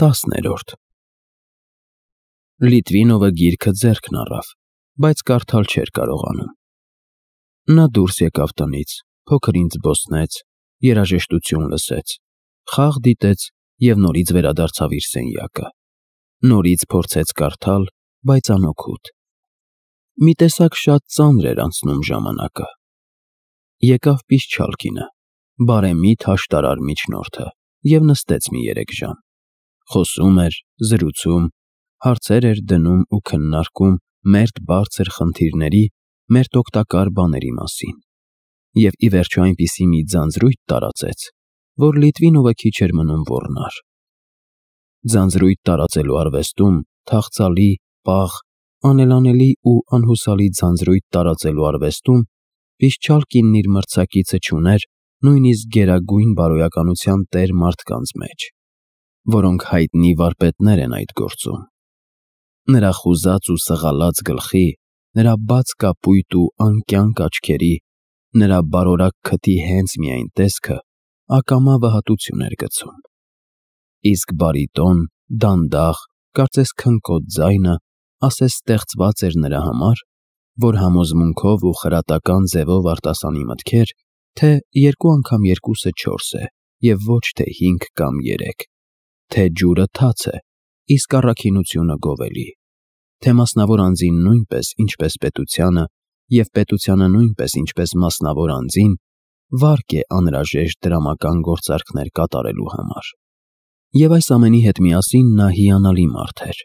10-րդ Լիտվինովը գիրքը ձեռքն առավ, բայց կարդալ չէր կարողանում։ Նա դուրս եկավ տնից, փոքր ինձ զբոսնեց, երաժշտություն լսեց, խաղ դիտեց և նորից վերադարձավ իր սենյակը։ Նորից փորձեց կարդալ, բայց անօգուտ։ Մի տեսակ շատ ծանր էր անցնում ժամանակը։ Եկավ Պիսչալկինը, բարեմիտ հաշտարար միջնորդը, և նստեց մի 3 ժամ։ Խոսում էր, զրուցում, հարցեր էր դնում ու քննարկում մերթ բարձր խնդիրների, մերթ օգտակար բաների մասին։ Եվ ի վերջո այնպիսի մի ձանձրույթ տարածեց, որ Լիտվինովը քիչ էր մնում ոռնար։ Ձանձրույթ տարածելու արվեստում, թախծալի, պաղ, անելանելի ու անհուսալի ձանձրույթ տարածելու արվեստում Պիսչալկինն իր մրցակիցը չուներ նույնիսկ գերագույն բարոյականության տեր մարդկանց մեջ, որոնք հայտնի վարպետներ են այդ գործում։ Նրա խուզած ու սղալած գլխի, նրա բաց կապույտ ու անկյանք աչքերի, նրա բարորակ քթի հենց միայն տեսքը ակամա վհատություն էր գցում։ Իսկ բարիտոն, դանդաղ, կարծես քնկոտ ձայնը ասես ստեղծված էր նրա համար, որ համոզմունքով ու խրատական ձևով արտասանի մտքեր, թե 2 անգամ 2-ը 4 է և ոչ թե 5 կամ 3, թե ջուրը թաց է, իսկ առաքինությունը գովելի, թե մասնավոր անձին նույնպես, ինչպես պետությանը, և պետությանը նույնպես, ինչպես մասնավոր անձին, վարկ է անհրաժեշտ դրամական գործարքներ կատարելու համար։ Եվ այս ամենի հետ միասին նա հիանալի մարդ էր։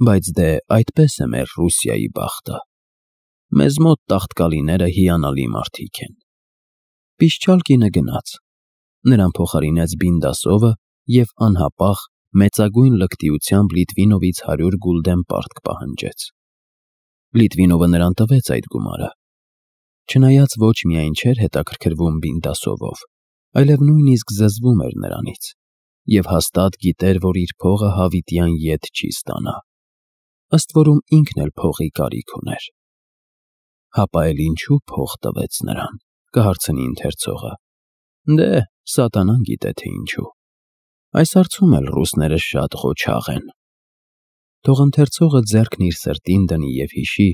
Բայց դե այդպես է մեր Ռուսիայի բախտը։ Մեզ մոտ տաղտկալիները հիանալի մարդիկ են։ Պիսչալկինը գնաց։ Նրան փոխարինեց Բինդասովը և անհապաղ, մեծագույն լկտիությամբ Լիտվինովից 100 գուլդեն պարտք պահանջեց։ Լիտվինովը նրան տվեց այդ գումարը։ Չնայած ոչ միայն չէր հետաքրքրվում Բինդասովով, այլև նույնիսկ զզվում էր նրանից և հաստատ գիտեր, որ իր փողը հավիտյան ետ չի ստանա։ Ըստ որում ինքն էլ փողի կարիք ուներ։ Հապա էլ ինչու փող տվեց նրան, կհարցնի ընթերցողը։ Դե, սատանան գիտե թե ինչու։ Այս հարցում էլ ռուսները շատ ղոչաղ են։ Թող ընթերցողը ձեռքն իր սրտին դնի և հիշի,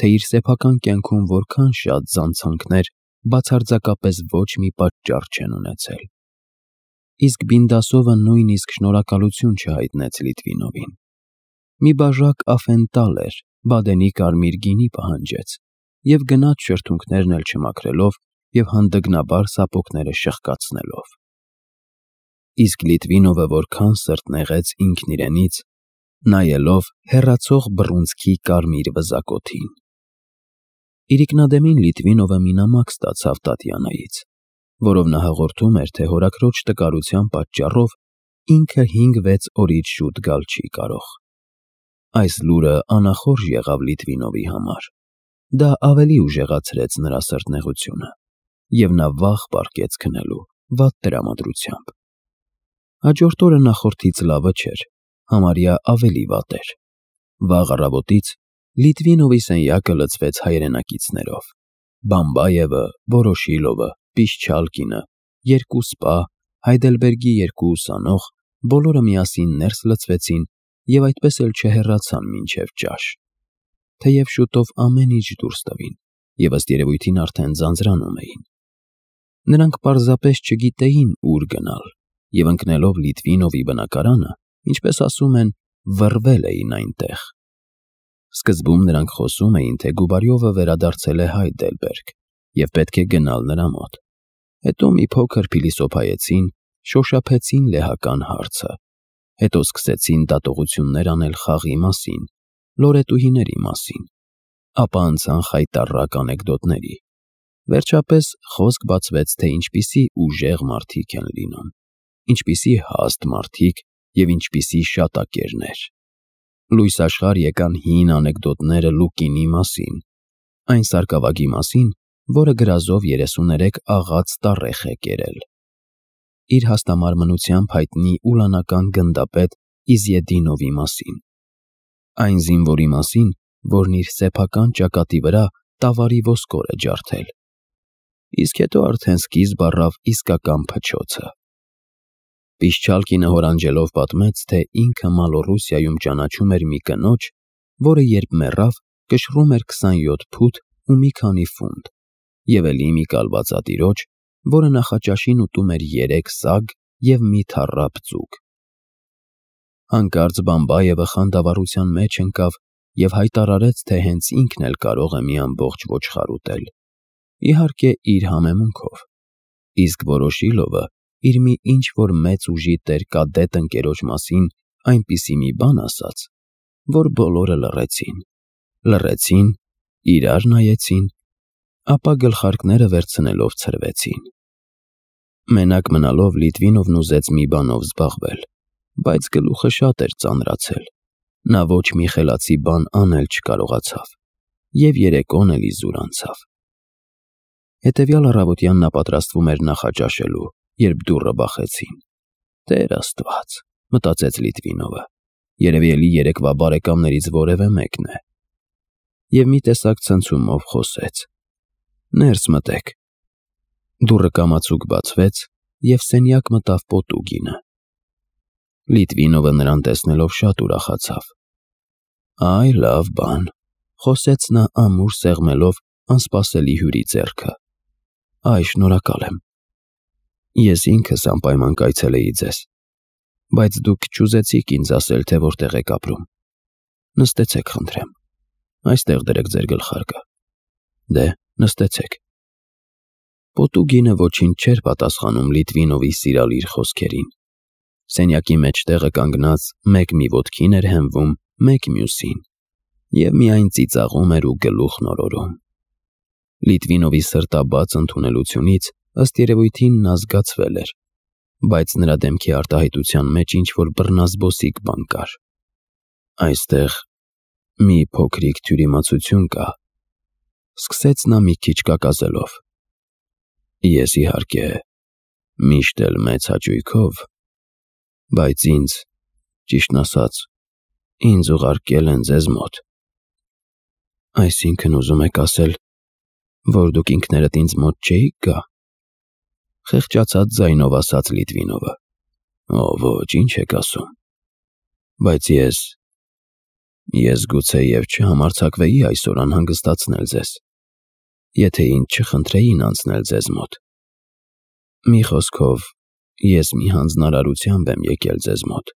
թե իր սեփական կյանքում որքան շատ զանցանքներ բացարձակապես ոչ մի պատճառ չեն ունեցել։ Իսկ Բինդասովը նույնիսկ շնորհակալություն չհայտնեց Լիտվինովին։ Մի բաժակ աֆենտալ էր, Բադենի կարմիր գինի պահանջեց և գնաց շրթունքներն էլ չմաքրելով և հանդգնաբար սապոգները շխկացնելով։ Իսկ Լիտվինովը որքան սրտնեղեց ինքն իրենից, նայելով հեռացող բռունցքի կարմիր վզակոթին։ Իրիկնադեմին Լիտվինովը մի նամակ ստացավ Տատյանայից, որով նա հաղորդում էր, թե հորաքրոջ տկարության պատճառով ինքը 5-6 օրից շուտ գալ չի կարող։ Այս լուրը անախորժ եղավ Լիտվինովի համար։ Դա ավելի ուժեղացրեց նրա սրտնեղությունը, և նա վաղ պառկեց քնելու, վատ տրամադրությամբ։ Հաջորդ օրը նախորդից լավը չէր, համարյա ավելի վատ էր։ Վաղ առավոտից Լիտվինովի սենյակը լցվեց հայրենակիցներով. Բամբայևը, Վորոշիլովը, Պիսչալկինը, 2 սպա, Հայդելբերգի 2 ուսանող, բոլորը միասին ներս լցվեցին և այդպես էլ չհեռացան մինչև ճաշ։ Թեև շուտով ամեն ինչ դուրս տվին և ըստ երևույթին արդեն ձանձրանում էին։ Նրանք պարզապես չգիտեին ուր գնալ և ընկնելով Լիտվինովի բնակարանը, ինչպես ասում են, վռվել էին այնտեղ։ Սկզբում նրանք խոսում էին, թե Գուբարյովը վերադարձել է Հայդելբերգ և պետք է գնալ նրա մոտ։ Հետո մի փոքր փիլիսոփայեցին, շոշափեցին լեհական հարցը։ Հետո սկսեցին դատողություններ անել խաղի մասին, լորետուհիների մասին, ապա անցան խայտառակ անեկդոտների։ Վերջապես խոսք բացվեց, թե ինչպիսի ուժեղ մարդիկ են լինում, ինչպիսի հաստ մարդիկ և ինչպիսի շատակերներ։ Լույս աշխարհ եկան հին անեկդոտները Լուկինի մասին, այն սարկավագի մասին, որը գրազով 33 աղաց տառեխ է կերել։ Իր հաստամարմնությամբ հայտնի ուլանական գնդապետ Իզյեդինովի մասին։ Այն զինվորի մասին, որն իր սեփական ճակատի վրա տավարի ոսկոր է ջարդել։ Իսկ հետո արդեն սկիզբ առավ իսկական փչոցը։ Պիշչալ կինը հորանջելով պատմեց, թե ինքը Մալոռուսիայում ճանաչում էր մի կնոջ, որը երբ մեռավ, կշռում էր 27 փութ ու մի քանի ֆունտ, և էլի մի կալվածատիրոջ, որը նախաճաշին ուտում էր 3 սագ և մի թառապ ձուկ։ Հանկարծ Բամբայևը խանդավառության մեջ ընկավ և հայտարարեց, թե հենց ինքն էլ կարող է մի ամբողջ ոչխար ուտել, իհարկե իր համեմունքով, իսկ Վորոշիլովը իր մի ինչ-որ մեծ ուժի տեր կադետ ընկերոջ մասին այնպիսի մի բան ասաց, որ բոլորը լռեցին, իրար նայեցին, ապա գլխարկները վերցնելով ցրվեցին։ Մենակ մնալով Լիտվինովն ուզեց մի բանով զբաղվել, բայց գլուխը շատ էր ծանրացել, նա ոչ մի խելացի բան անել չկարողացավ և երեկոն էլ իզուր անցավ։ Հետևյալ առավոտյան նա պատրաստվում էր նախաճաշելու, երբ դուռը բախեցին։ «Տեր Աստված», մտածեց Լիտվինովը, երևի էլի երեկվա բարեկամներից որևէ մեկն է։ Եվ մի տեսակ ցնցումով խոսեց. «Ներս մտեք»։ Դուռը կամացուկ բացվեց, և սենյակ մտավ Պոտուգինը։ Լիտվինովը նրան տեսնելով շատ ուրախացավ։ «Այ, լավ բան», խոսեց նա ամուր սեղմելով անսպասելի հյուրի ձեռքը։ «Այ, շնորհակալ եմ։ Ես ինքս անպայման կայցելեի ձեզ, բայց դուք չուզեցիք ինձ ասել, թե որտեղ եք ապրում։ Նստեցեք, խնդրեմ, այստեղ դրեք ձեր գլխարկը։ Դե, նստեցեք»։ Պոտուգինը ոչինչ չէր պատասխանում Լիտվինովի սիրալիր խոսքերին։ Սենյակի մեջտեղը կանգնած մեկ մի ոտքին էր հենվում, մեկ մյուսին, և միայն ծիծաղում էր ու գլուխն օրորում։ Լիտվինովի սրտաբաց ընդունելությունից ըստ երևույթին նա զգացվել էր, բայց նրա դեմքի արտահայտության մեջ ինչ-որ բռնազբոսիկ բան կար։ «Այստեղ մի փոքրիկ թյուրիմացություն կա», սկսեց նա մի քիչ կակազելով։ «Ես, իհարկե, միշտ էլ մեծ հաճույքով, բայց ճիշտն ասած, ինձ ուղարկել են ձեզ մոտ»։ «Այսինքն ուզում եք ասել, որ դուք ինքներդ ինձ մոտ չէիք գա», խեղճացած ձայնով ասաց Լիտվինովը։ «Օ, ոչ, ինչ եք ասում, բայց ես գուցեև չհամարձակվեի այսօր անհանգստացնել ձեզ, եթե ինձ չխնդրեին անցնել ձեզ մոտ։ Մի խոսքով, ես մի հանձնարարությամբ եմ եկել ձեզ մոտ։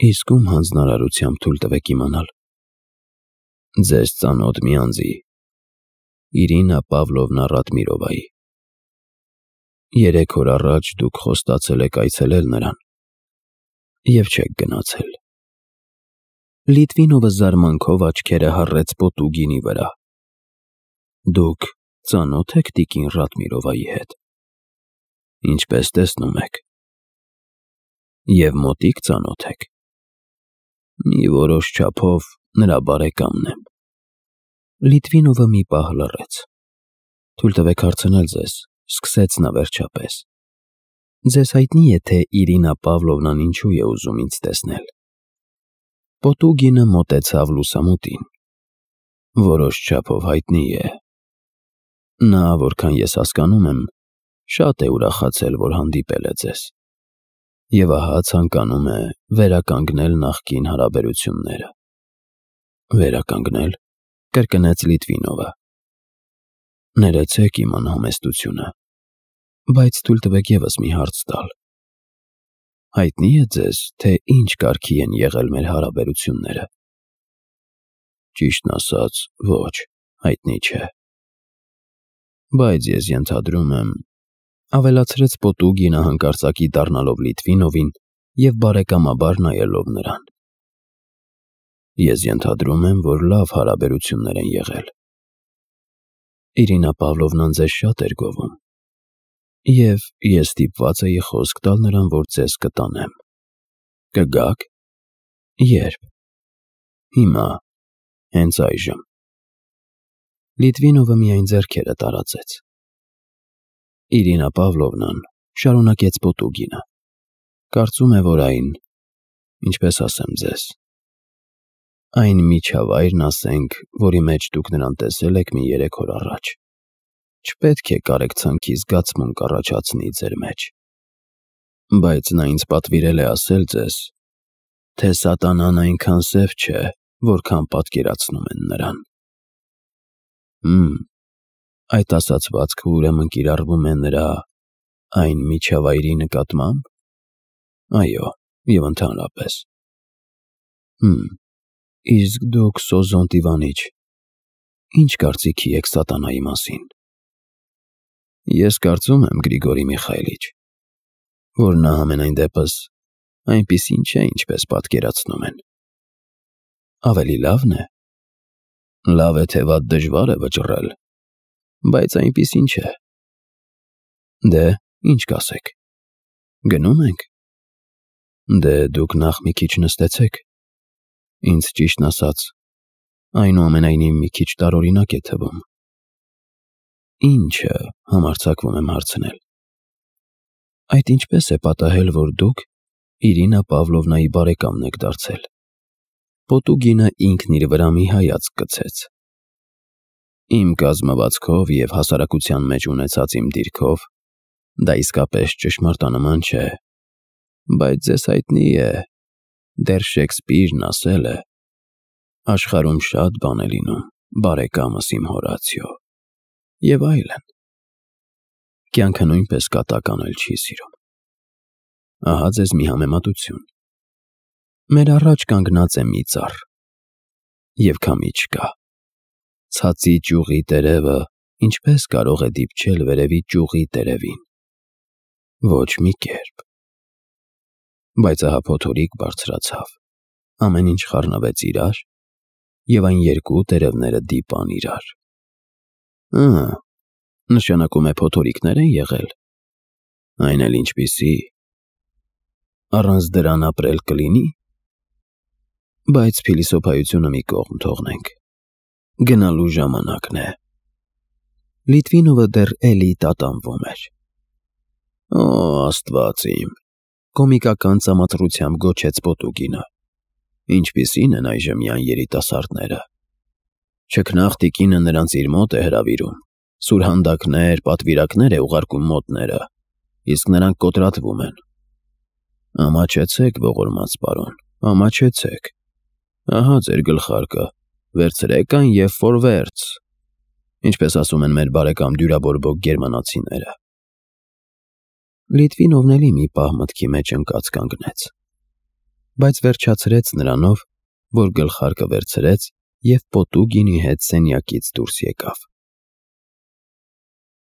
Իսկ ում հանձնարարությամբ թույլ տվեք իմանալ»։ «Ձեզ ծանոթ մի անձի՝ Իրինա Պավլովնա Ռադմիրովայի։ 3 օր առաջ դուք խոստացել եք այցելել նրան և չեք գնացել»։ Լիտվինովը զարմանքով աչքերը հառեց Պոտուգինի վրա։ «Դուք ծանո՞թ եք տիկին Ռադմիրովայի հետ»։ «Ինչպես տեսնում եք»։ «Եվ մոտիկ ծանոթ եք»։ «Մի որոշ չափով նրա բարեկամն եմ»։ Լիտվինովը մի պահ լռեց։ «Թույլ տվեք հարցնել ձեզ», սկսեց նա վերջապես. «Ձեզ հայտնի է, թե Իրինա Պավլովնան ինչու է ուզում ինձ տեսնել»։ Պոտուգինը մոտեցավ լուսամուտին։ «Որոշ չափով հայտնի է։ Նա, որքան ես հասկանում եմ, շատ է ուրախացել, որ հանդիպել է ձեզ, և ահա ցանկանում է վերականգնել նախկին հարաբերությունները»։ «Վերականգնել», կրկնեց Լիտվինովը։ «Ներեցեք իմ անհամեստությունը, բայց թույլ տվեք ևս մի հարց տալ։ Հայտնի է ձեզ, թե ինչ կարգի են եղել մեր հարաբերությունները»։ «Ճիշտն ասած, ոչ, հայտնի չէ։ Բայց ես ենթադրում եմ», ավելացրեց Պոտուգինը հանկարծակի դառնալով Լիտվինովին և բարեկամաբար նայելով նրան, «ես ենթադրում եմ, որ լավ հարաբերություններ են եղել։ Իրինա Պավլովնան ձեզ շատ էր գովում, և ես ստիպված էի խոսք տալ նրան, որ ձեզ կտանեմ։ Կգա՞ք»։ «Ե՞րբ»։ «Հիմա, հենց այժմ»։ Լիտվինովը միայն ձեռքերը տարածեց։ «Իրինա Պավլովնան», շարունակեց Պոտուգինը, «կարծում է, որ ինչպես ասեմ ձեզ, այն միջավայրն, ասենք, որի մեջ դուք նրան տեսել եք մի 3 օր առաջ, չպետք է կարեկցանքի զգացմունք առաջացնի ձեր մեջ։ Բայց նա ինձ պատվիրել է ասել ձեզ, թե սատանան այնքան սև չէ, որքան պատկերացնում են նրան։ Այդ ասացվածքը ուրեմն կիրառվում է նրա այն միջավայրի նկատմամբ։ Այո, և ընդհանրապես։ Իսկ դուք Սոզոն Տիվանիչ, ինչ կարծիքի եք սատանայի մասին։ Ես կարծում եմ, Գրիգորի Միխայիլիչ, որ նա համենայն դեպս այնպիսին չէ, ինչպես պատկերացնում են։ Ավելի լավն է։ Լավ է, թե վատ դժվար է վճռել, բայց այնպիսին չէ։ Դե, ինչ կասեք։ Գնո՞ւմ ենք։ Դե, դուք նախ մի քիչ նստեցեք։ Ինձ ճիշտն ասած, այնուամենայնիվ մի քիչ տարօրինակ է թվում։ Ի՞նչը, համարձակվում եմ հարցնել։ Այդ ինչպես է պատահել, որ դուք Իրինա Պավլովնայի բարեկամն եք դարձել։ Պոտուգինը ինքն իր վրա մի հայացք գցեց։ Իմ կազմվածքով և հասարակության մեջ ունեցած իմ դիրքով դա իսկապես ճշմարտանման չէ, բայց ձեզ հայտնի է, դեռ Շեքսպիրն ասել է. աշխարհում շատ բան է լինում, բարեկամս իմ Հորացիո, և այլն։ Կյանքը նույնպես կատակ անել չի սիրում։ Ահա ձեզ մի համեմատություն։ Մեր առաջ կանգնած է մի ծառ, և քամի չկա։ Ցածի ճյուղի տերևը ինչպես կարող է դիպչել վերևի ճյուղի տերևին։ Ոչ մի կերպ։ Բայց ահա փոթորիկ բարձրացավ, ամեն ինչ խառնվեց իրար, և այն երկու տերևները դիպան իրար։ Նշանակում է փոթորիկներ են եղել։ Այն էլ ինչպիսի։ Առանց դրան ապրել կլինի։ Բայց փիլիսոփայությունը մի կողմ թողնենք։ Գնալու ժամանակն է։ Լիտվինովը դեռ էլի տատանվում էր։ Օ, Աստված իմ, կոմիկական ծամատրությամբ գոչեց Պոտուգինը։ Ինչպիսին են այժմ յան երիտասարդները։ Չքնաղ տիկինը նրանց իր մոտ է հրավիրում, սուրհանդակներ, պատվիրակներ է ուղարկում մոտները, իսկ նրանք կոտրատվում են։ Ամաչեցեք, ողորմած պարոն, ամաչեցեք։ Ահա ձեր գլխարկը, վերցրեք այն և ֆորվերց, ինչպես ասում են մեր բարեկամ դյուրաբորբոք գերմանացիները։ Լիտվինովն էլի մի պահ մտքի մեջ ընկած կանգնեց, բայց վերջացրեց նրանով, որ գլխարկը վերցրեց և Պոտուգինի հետ սենյակից դուրս եկավ։